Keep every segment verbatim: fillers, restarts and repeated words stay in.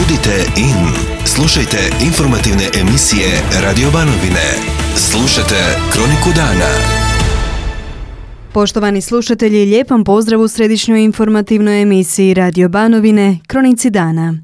Budite in. Slušajte informativne emisije Radio Banovine. Slušajte Kroniku dana. Poštovani slušatelji, lijepam pozdrav u središnjoj informativnoj emisiji Radio Banovine, Kronici dana.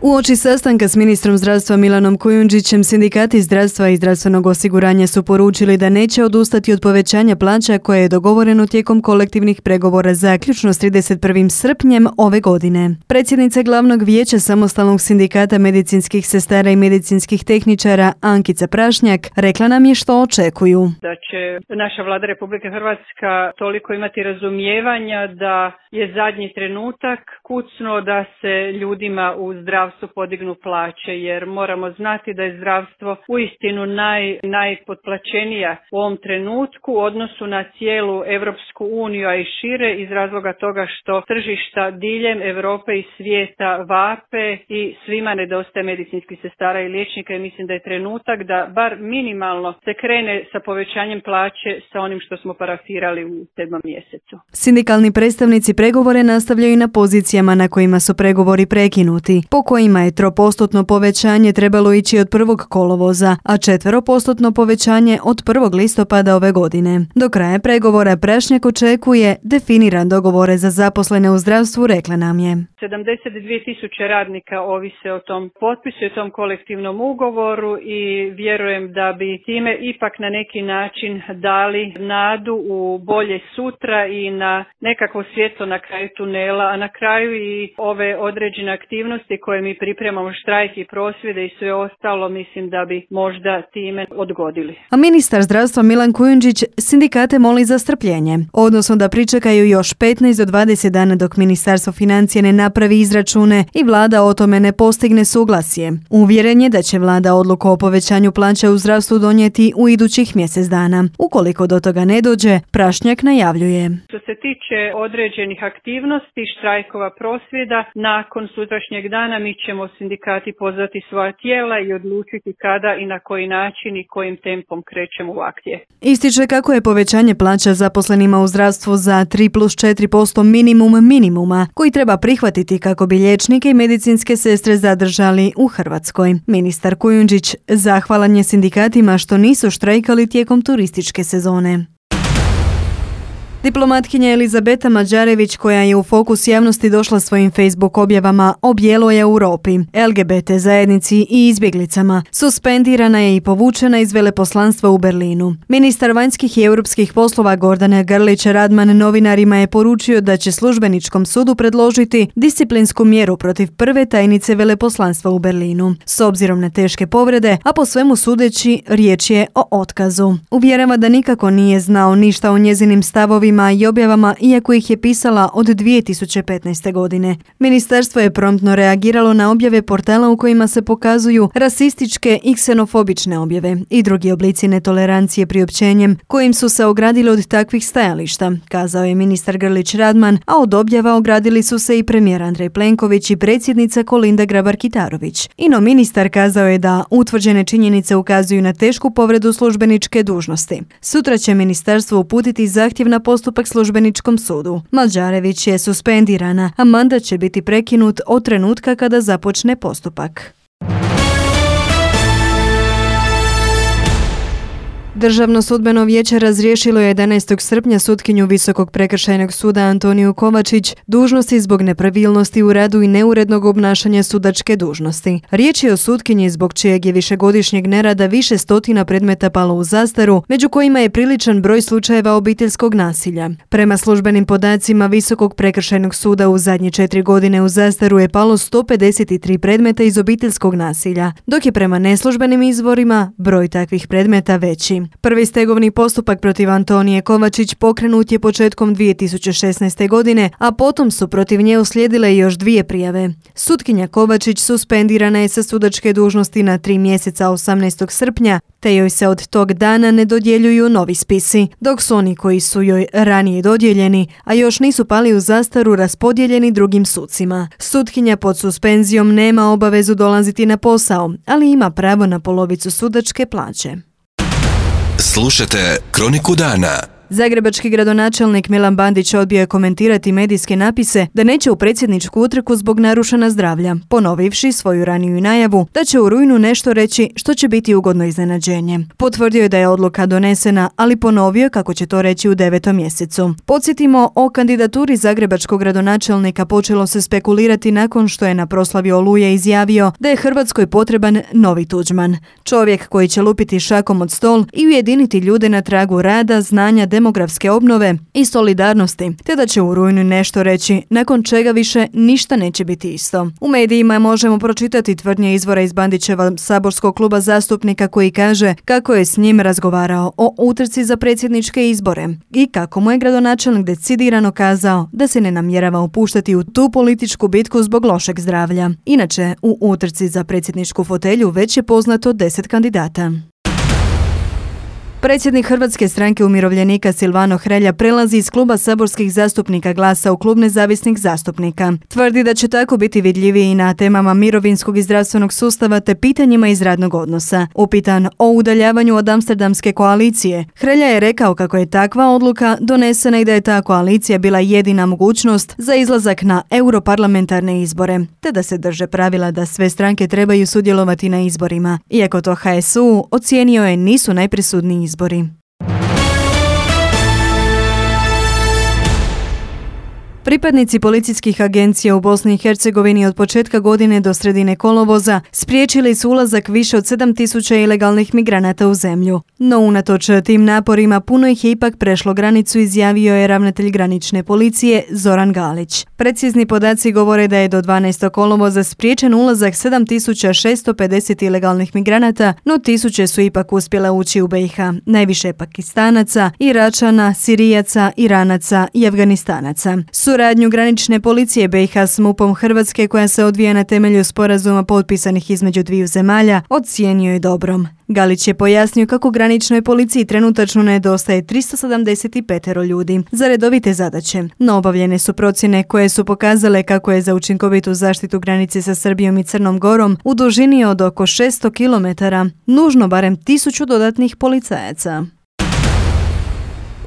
Uoči sastanka s ministrom zdravstva Milanom Kujundžićem, sindikati zdravstva i zdravstvenog osiguranja su poručili da neće odustati od povećanja plaća koje je dogovoreno tijekom kolektivnih pregovora zaključno s trideset prvog srpnjem ove godine. Predsjednica glavnog vijeća samostalnog sindikata medicinskih sestara i medicinskih tehničara Ankica Prašnjak rekla nam je što očekuju. Da će naša vlada Republike Hrvatska toliko imati razumijevanja da je zadnji trenutak kucnuo da se ljudima u zdravstvu podignu plaće, jer moramo znati da je zdravstvo uistinu naj, najpotplaćenija u ovom trenutku u odnosu na cijelu Europsku uniju, a i šire iz razloga toga što tržišta diljem Europe i svijeta vape i svima nedostaje medicinskih sestara i liječnika i mislim da je trenutak da bar minimalno se krene sa povećanjem plaće sa onim što smo parafirali u sedmom mjesecu. Sindikalni predstavnici pregovore nastavljaju na pozicijama na kojima su pregovori prekinuti, po kojima je tropostotno povećanje trebalo ići od prvog kolovoza, a četveropostotno povećanje od prvog listopada ove godine. Do kraja pregovora Prašnjak očekuje definiran dogovore za zaposlene u zdravstvu, rekla nam je. sedamdeset dvije tisuće radnika ovise o tom potpisu i tom kolektivnom ugovoru i vjerujem da bi time ipak na neki način dali nadu u bolje sutra i na nekakvo svjetlo na kraju tunela, a na kraju i ove određene aktivnosti koje mi pripremamo, štrajk i prosvjede i sve ostalo, mislim da bi možda time odgodili. A ministar zdravstva Milan Kujundžić sindikate moli za strpljenje, odnosno da pričekaju još petnaest do dvadeset dana dok Ministarstvo financija ne napravi izračune i vlada o tome ne postigne suglasje. Uvjeren je da će vlada odluku o povećanju plaća u zdravstvu donijeti u idućih mjesec dana. Ukoliko do toga ne dođe, Prašnjak najavljuje. Što se tiče određenih aktivnosti, štrajkova, prosvjeda, nakon sutrašnjeg dana mi ćemo sindikati pozvati svoja tijela i odlučiti kada i na koji način i kojim tempom krećemo u akcije. Ističe kako je povećanje plaća zaposlenima u zdravstvu za tri plus četiri posto minimum minimuma koji treba prihvatiti kako bi liječnike i medicinske sestre zadržali u Hrvatskoj. Ministar Kujundžić zahvalan je sindikatima što nisu štrajkali tijekom turističke sezone. Diplomatkinja Elizabeta Mađarević, koja je u fokus javnosti došla svojim Facebook objavama o bijeloj Europi, L G B T zajednici i izbjeglicama, suspendirana je i povučena iz veleposlanstva u Berlinu. Ministar vanjskih i europskih poslova Gordana Grlić Radman novinarima je poručio da će službeničkom sudu predložiti disciplinsku mjeru protiv prve tajnice veleposlanstva u Berlinu, s obzirom na teške povrede, a po svemu sudeći riječ je o otkazu. Uvjerava da nikako nije znao ništa o njezinim stavovima i objavama, iako ih je pisala od dvije tisuće petnaeste. godine. Ministarstvo je promptno reagiralo na objave portala u kojima se pokazuju rasističke i ksenofobične objave i drugi oblici netolerancije priopćenjem kojim su se ogradili od takvih stajališta, kazao je ministar Grlić Radman, a od objava ogradili su se i premijer Andrej Plenković i predsjednica Kolinda Grabar-Kitarović. Ino ministar kazao je da utvrđene činjenice ukazuju na tešku povredu službeničke dužnosti. Sutra će ministarstvo uputiti zahtjev na postupak službeničkom sudu. Mađarević je suspendirana, a mandat će biti prekinut od trenutka kada započne postupak. Državno sudbeno vijeće razriješilo je jedanaestog srpnja sutkinju Visokog prekršajnog suda Antoniju Kovačić dužnosti zbog nepravilnosti u radu i neurednog obnašanja sudačke dužnosti. Riječ je o sutkinji zbog čijeg je višegodišnjeg nerada više stotina predmeta palo u zastaru, među kojima je priličan broj slučajeva obiteljskog nasilja. Prema službenim podacima Visokog prekršajnog suda u zadnje četiri godine u zastaru je palo sto pedeset tri predmeta iz obiteljskog nasilja, dok je prema neslužbenim izvorima broj takvih predmeta veći. Prvi stegovni postupak protiv Antonije Kovačić pokrenut je početkom dvije tisuće šesnaeste. godine, a potom su protiv nje uslijedile još dvije prijave. Sutkinja Kovačić suspendirana je sa sudačke dužnosti na tri mjeseca osamnaestog srpnja, te joj se od tog dana ne dodjeljuju novi spisi, dok su oni koji su joj ranije dodijeljeni, a još nisu pali u zastaru, raspodijeljeni drugim sucima. Sutkinja pod suspenzijom nema obavezu dolaziti na posao, ali ima pravo na polovicu sudačke plaće. Slušajte Kroniku dana. Zagrebački gradonačelnik Milan Bandić odbio je komentirati medijske napise da neće u predsjedničku utrku zbog narušena zdravlja, ponovivši svoju raniju najavu da će u rujnu nešto reći što će biti ugodno iznenađenje. Potvrdio je da je odluka donesena, ali ponovio kako će to reći u devetom mjesecu. Podsjetimo, o kandidaturi zagrebačkog gradonačelnika počelo se spekulirati nakon što je na proslavi Oluje izjavio da je Hrvatskoj potreban novi Tuđman. Čovjek koji će lupiti šakom od stol i ujediniti ljude na tragu rada, znanja, demografske obnove i solidarnosti, te da će u rujnu nešto reći, nakon čega više ništa neće biti isto. U medijima možemo pročitati tvrdnje izvora iz Bandićeva saborskog kluba zastupnika koji kaže kako je s njim razgovarao o utrci za predsjedničke izbore i kako mu je gradonačelnik decidirano kazao da se ne namjerava upuštati u tu političku bitku zbog lošeg zdravlja. Inače, u utrci za predsjedničku fotelju već je poznato deset kandidata. Predsjednik Hrvatske stranke umirovljenika Silvano Hrelja prelazi iz kluba saborskih zastupnika Glasa u klub nezavisnih zastupnika. Tvrdi da će tako biti vidljiviji na temama mirovinskog i zdravstvenog sustava te pitanjima iz radnog odnosa. Upitan o udaljavanju od Amsterdamske koalicije, Hrelja je rekao kako je takva odluka donesena i da je ta koalicija bila jedina mogućnost za izlazak na europarlamentarne izbore, te da se drže pravila da sve stranke trebaju sudjelovati na izborima. Iako to H S U ocijenio je nisu najpresudniji izbori. Pripadnici policijskih agencija u Bosni i Hercegovini od početka godine do sredine kolovoza spriječili su ulazak više od sedam tisuća ilegalnih migranata u zemlju. No unatoč tim naporima puno ih je ipak prešlo granicu, izjavio je ravnatelj granične policije Zoran Galić. Precizni podaci govore da je do dvanaestog kolovoza spriječen ulazak sedam tisuća šesto pedeset ilegalnih migranata, no tisuće su ipak uspjele ući u B i H. Najviše Pakistanaca, Iračana, Sirijaca, Iranaca i Afganistanaca. Suradnju granične policije B i H s MUP-om Hrvatske, koja se odvija na temelju sporazuma potpisanih između dviju zemalja, ocijenio je dobrom. Galić je pojasnio kako graničnoj policiji trenutačno nedostaje tristo sedamdeset pet ljudi za redovite zadaće, no obavljene su procjene koje su pokazale kako je za učinkovitu zaštitu granice sa Srbijom i Crnom Gorom u dužini od oko šesto kilometara nužno barem tisuću dodatnih policajaca.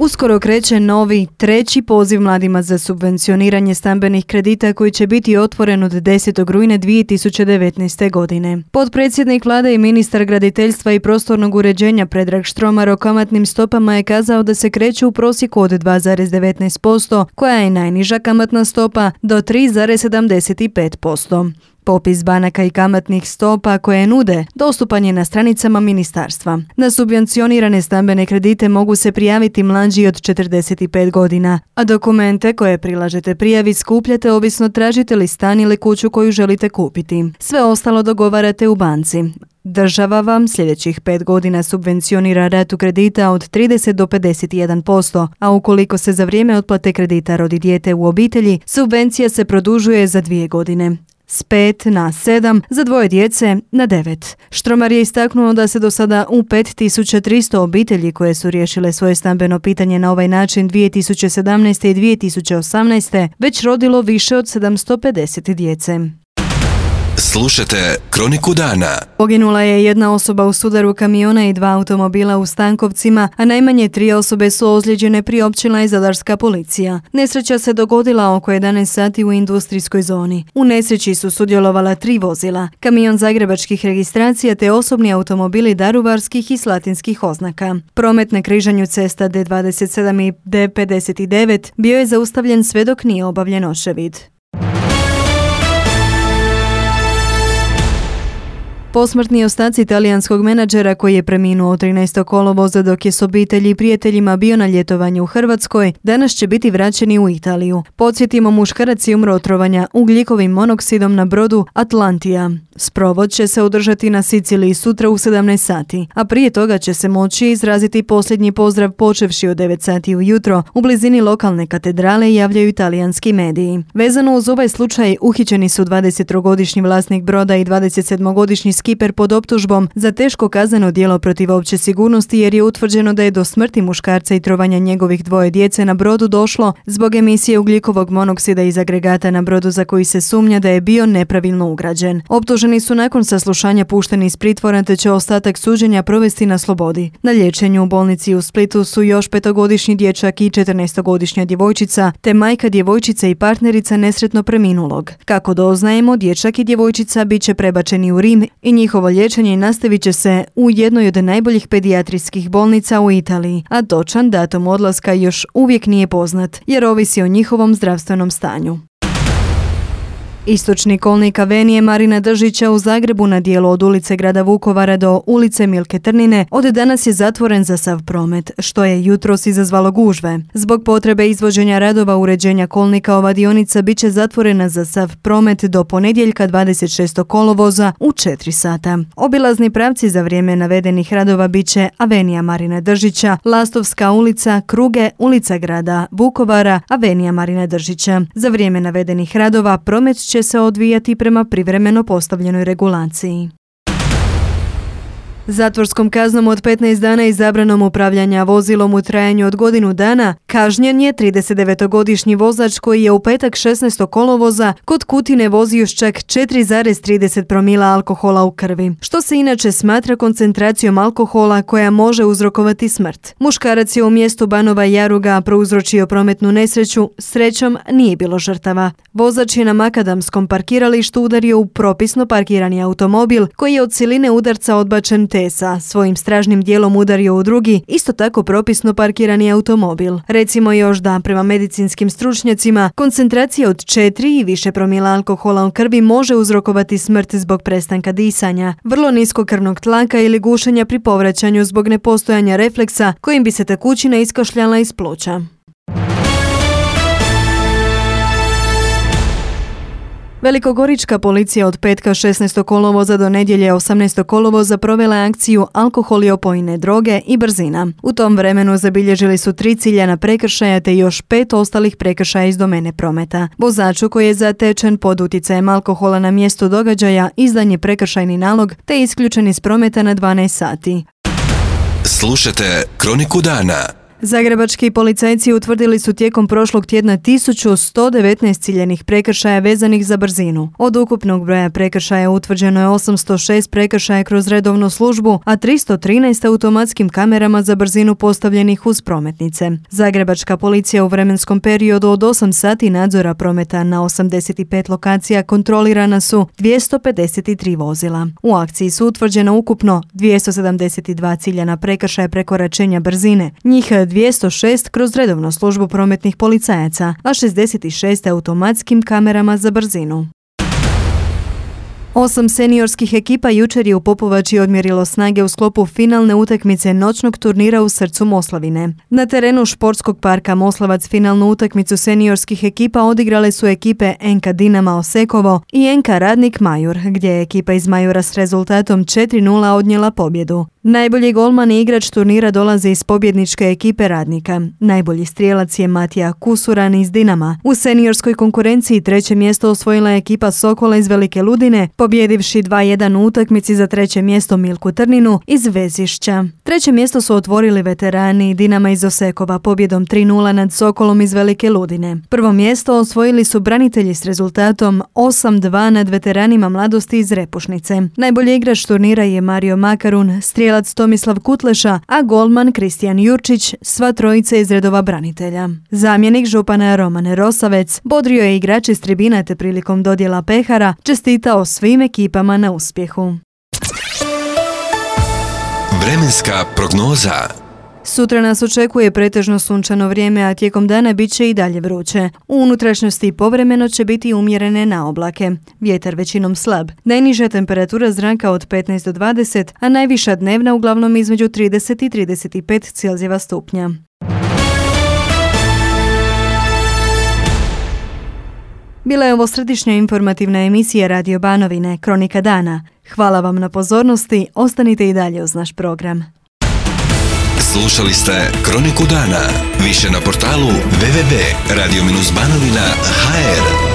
Uskoro kreće novi, treći poziv mladima za subvencioniranje stambenih kredita koji će biti otvoren od desetog rujna dvije tisuće devetnaeste. godine. Potpredsjednik vlade i ministar graditeljstva i prostornog uređenja Predrag Štromar o kamatnim stopama je kazao da se kreću u prosjeku od dva zarez devetnaest posto, koja je najniža kamatna stopa, do tri zarez sedamdeset pet posto. Popis banaka i kamatnih stopa koje nude dostupan je na stranicama ministarstva. Na subvencionirane stambene kredite mogu se prijaviti mlađi od četrdeset pet godina, a dokumente koje prilažete prijavi skupljate ovisno tražite li stan ili kuću koju želite kupiti. Sve ostalo dogovarate u banci. Država vam sljedećih pet godina subvencionira ratu kredita od trideset do pedeset jedan posto, a ukoliko se za vrijeme otplate kredita rodi dijete u obitelji, subvencija se produžuje za dvije godine. S pet na sedam, za dvoje djece na devet. Štromar je istaknuo da se do sada u pet tisuća tristo obitelji koje su riješile svoje stambeno pitanje na ovaj način dvije tisuće sedamnaeste. i dvije tisuće osamnaeste. već rodilo više od sedamsto pedeset djece. Slušajte Kroniku dana. Poginula je jedna osoba u sudaru kamiona i dva automobila u Stankovcima, a najmanje tri osobe su ozlijeđene, priopćila je zadarska policija. Nesreća se dogodila oko jedanaest sati u industrijskoj zoni. U nesreći su sudjelovala tri vozila, kamion zagrebačkih registracija te osobni automobili daruvarskih i slatinskih oznaka. Promet na križanju cesta D dvadeset sedam i D pedeset devet bio je zaustavljen sve dok nije obavljen očevid. Posmrtni ostaci talijanskog menadžera koji je preminuo trinaestog kolovoza dok je s obitelji i prijateljima bio na ljetovanju u Hrvatskoj, danas će biti vraćeni u Italiju. Podsjetimo, muškarac je umro od trovanja ugljikovim monoksidom na brodu Atlantija. Sprovod će se održati na Siciliji sutra u sedamnaest sati, a prije toga će se moći izraziti posljednji pozdrav počevši od devet sati ujutro u blizini lokalne katedrale, javljaju italijanski mediji. Vezano uz ovaj slučaj uhićeni su dvadesettrogodišnji vlasnik broda i dvadesetsedmogodišnji skiper pod optužbom za teško kazneno djelo protiv opće sigurnosti jer je utvrđeno da je do smrti muškarca i trovanja njegovih dvoje djece na brodu došlo zbog emisije ugljikovog monoksida iz agregata na brodu za koji se sumnja da je bio nepravilno ugrađen. Optuženi su nakon saslušanja pušteni iz pritvora te će ostatak suđenja provesti na slobodi. Na liječenju u bolnici u Splitu su još petogodišnji dječak i četrnaestogodišnja djevojčica te majka djevojčice i partnerica nesretno preminulog. Kako doznajemo, dječak i djevojčica bit će prebačeni u Rim i njihovo liječenje nastavit će se u jednoj od najboljih pedijatrijskih bolnica u Italiji, a točan datum odlaska još uvijek nije poznat jer ovisi o njihovom zdravstvenom stanju. Istočni kolnik Avenije Marina Držića u Zagrebu na dijelu od ulice grada Vukovara do ulice Milke Trnine od danas je zatvoren za sav promet, što je jutros izazvalo gužve. Zbog potrebe izvođenja radova uređenja kolnika ova dionica bit će zatvorena za sav promet do ponedjeljka dvadeset šestog kolovoza u četiri sata. Obilazni pravci za vrijeme navedenih radova bit će Avenija Marina Držića, Lastovska ulica, Kruge, ulica grada Vukovara, Avenija Marina Držića. Za vrijeme navedenih radova promet će se odvijati prema privremeno postavljenoj regulaciji. Zatvorskom kaznom od petnaest dana i zabranom upravljanja vozilom u trajanju od godinu dana kažnjen je tridesetdevetogodišnji vozač koji je u petak šesnaestog kolovoza kod Kutine vozio s čak četiri zarez trideset promila alkohola u krvi, što se inače smatra koncentracijom alkohola koja može uzrokovati smrt. Muškarac je u mjestu Banova Jaruga prouzročio prometnu nesreću, srećom nije bilo žrtava. Vozač je na makadamskom parkiralištu udario u propisno parkirani automobil koji je od siline udarca odbačen te sa svojim stražnim dijelom udario u drugi, isto tako propisno parkirani automobil. Recimo još da prema medicinskim stručnjacima koncentracija od četiri i više promila alkohola u krvi može uzrokovati smrt zbog prestanka disanja, vrlo niskog krvnog tlaka ili gušenja pri povraćanju zbog nepostojanja refleksa kojim bi se tekućina iskašljala iz pluća. Velikogorička policija od petka šesnaestog kolovoza do nedjelje osamnaestog kolovoza provela je akciju Alkohol i opojne droge i brzina. U tom vremenu zabilježili su tri ciljana prekršaja te još pet ostalih prekršaja iz domene prometa. Vozaču koji je zatečen pod utjecajem alkohola na mjestu događaja izdan je prekršajni nalog te isključen iz prometa na dvanaest sati. Slušajte Kroniku dana. Zagrebački policajci utvrdili su tijekom prošlog tjedna tisuću sto devetnaest ciljanih prekršaja vezanih za brzinu. Od ukupnog broja prekršaja utvrđeno je osamsto šest prekršaja kroz redovnu službu, a tristo trinaest automatskim kamerama za brzinu postavljenih uz prometnice. Zagrebačka policija u vremenskom periodu od osam sati nadzora prometa na osamdeset pet lokacija kontrolirana su dvjesto pedeset tri vozila. U akciji su utvrđeno ukupno dvjesto sedamdeset dva ciljana prekršaja prekoračenja brzine, njih dvjesto šest kroz redovnu službu prometnih policajaca, a šezdeset šest automatskim kamerama za brzinu. Osam seniorskih ekipa jučer je u Popovači odmjerilo snage u sklopu finalne utakmice noćnog turnira u srcu Moslavine. Na terenu športskog parka Moslavac finalnu utakmicu seniorskih ekipa odigrale su ekipe N K Dinama Osekovo i N K Radnik Majur, gdje je ekipa iz Majura s rezultatom četiri nula odnijela pobjedu. Najbolji golman i igrač turnira dolazi iz pobjedničke ekipe Radnika. Najbolji strijelac je Matija Kusuran iz Dinama. U seniorskoj konkurenciji treće mjesto osvojila je ekipa Sokola iz Velike Ludine, pobjedivši dva jedan u utakmici za treće mjesto Milku Trninu iz Vezišća. Treće mjesto su otvorili veterani Dinama iz Osekova pobjedom tri nula nad Sokolom iz Velike Ludine. Prvo mjesto osvojili su branitelji s rezultatom osam dva nad veteranima mladosti iz Repušnice. Najbolji igrač turnira je Mario Makarun, strijelac Tomislav Kutleša, a golman Kristijan Jurčić, sva trojica iz redova branitelja. Zamjenik župana Roman Rosavec bodrio je igrače s tribina te prilikom dodjela pehara čestitao svim ekipama na uspjehu. Vremenska prognoza. Sutra nas očekuje pretežno sunčano vrijeme, a tijekom dana bit će i dalje vruće. U unutrašnjosti povremeno će biti umjerene na oblake. Vjetar većinom slab. Najniža temperatura zraka od petnaest do dvadeset, a najviša dnevna uglavnom između trideset i trideset pet Celzijeva stupnja. Bila je ovo središnja informativna emisija Radio Banovine, Kronika dana. Hvala vam na pozornosti, ostanite i dalje uz naš program. Slušali ste Kroniku dana. Više na portalu w w w tačka radio banovina tačka h r.